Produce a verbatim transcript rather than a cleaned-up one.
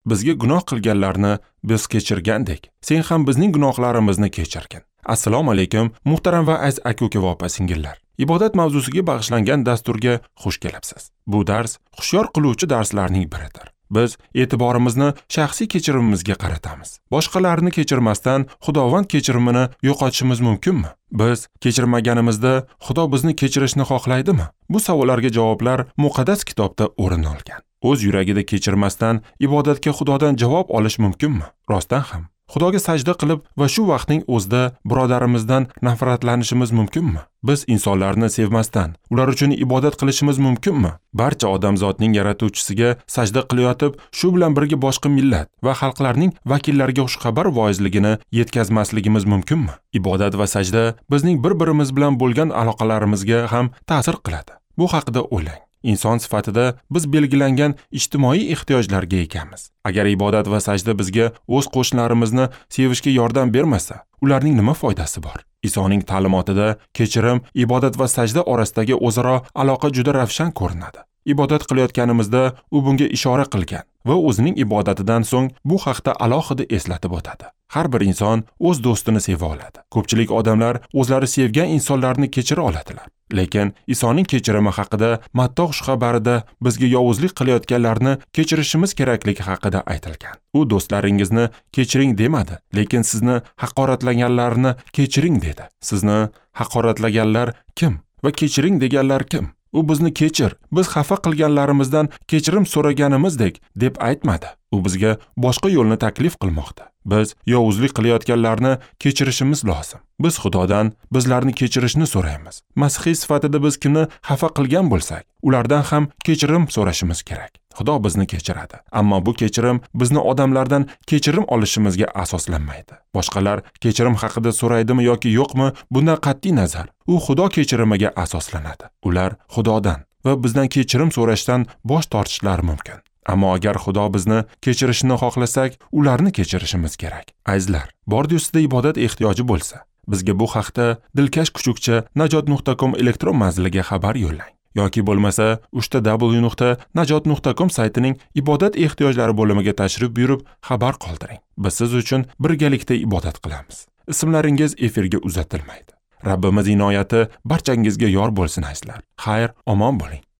Bizga gunoh qilganlarni biz kechirgandek, sen ham bizning gunohlarimizni kechirgin. Assalomu alaykum, muhtaram va aziz aka-uka va opa-singillar. Ibodat mavzusiga bag'ishlangan dasturga xush kelibsiz. Bu dars hushyor qiluvchi darslarning biridir. Biz e'tiborimizni shaxsiy kechirimimizga qaratamiz. Boshqalarni kechirmasdan Xudovand kechirimini yo'qotishimiz mumkinmi? Biz kechirmaganimizda Xudo bizni kechirishni xohlaydimi? Bu savollarga javoblar muqaddas kitobda o'rin olgan. O'z yuragida kechirmasdan ibodatga Xudodan javob olish mumkinmi? Rostdan ham Xudoga sajda qilib va shu vaqtning o'zida birodarimizdan nafratlanishimiz mumkinmi? Biz insonlarni sevmasdan ular uchun ibodat qilishimiz mumkinmi? Barcha odamzodning yaratuvchisiga sajda qilayotib, shu bilan birga boshqa millat va xalqlarning vakillariga xushxabar voizligini yetkazmasligimiz mumkinmi? Ibodat va sajda bizning bir-birimiz bilan bo'lgan aloqalarimizga ham ta'sir qiladi. Bu haqida o'ylang. Inson sifatida biz belgilangan ijtimoiy ehtiyojlarga egamiz. Agar ibodat va sajda bizga o'z qo'shnilarimizni sevishga yordam bermasa, ularning nima foydasi bor? Isoning ta'limotida kechirim, ibodat va sajda orasidagi o'zaro aloqa juda ravshan ko'rinadi. Ibodat qilayotganimizda u bunga ishora qilgan va o'zining ibodatidan so'ng bu haqda alohida eslatib o'tadi. Har bir inson o'z do'stini seva oladi. Ko'pchilik odamlar o'zlari sevgan insonlarni kechira oladilar. Lekin Isoning kechirimi haqida Matto xushxabarida bizga yovuzlik qilayotganlarni kechirishimiz kerakligi haqida aytilgan. U do'stlaringizni kechiring demadi, lekin sizni haqoratlaganlarni kechiring dedi. Sizni haqoratlaganlar kim va kechiring deganlar kim? U bizni kechir, biz xafa qilganlarimizdan kechirim so'raganimizdek deb aytmadi. U bizga boshqa yo'lni taklif qilmoqda. Biz yovuzlik qilayotganlarni kechirishimiz lozim. Biz Xudodan bizlarni kechirishni so'raymiz. Masihiy sifatida biz kimni xafa qilgan bo'lsak, ulardan ham kechirim so'rashimiz kerak. Xudo bizni kechiradi, ammo bu kechirim bizni odamlardan kechirim olishimizga asoslanmaydi. Boshqalar kechirim haqida so'raydimi yoki yo'qmi, bundan qat'iy nazar, u Xudo kechirimiga asoslanadi. Ular Xudodan va bizdan kechirim so'rashdan bosh tortishlari mumkin. Ammo agar Xudo bizni kechirishini xohlasak, ularni kechirishimiz kerak. Azizlar, bordi ustida ibodat ehtiyoji bo'lsa, bizga bu haqda dilkash kuchukcha najot nuqta com elektron manziliga xabar yo'llang. Yoki bo'lmasa uchta w nuqta najot nuqta com saytining ibodat ehtiyojlari bo'limiga tashrif buyurib xabar qoldiring. Biz siz uchun birgalikda ibodat qilamiz. Ismlaringiz efirga uzatilmaydi. Rabbimiz inoyati barchangizga yor bo'lsin azizlar. Xayr, omon bo'ling.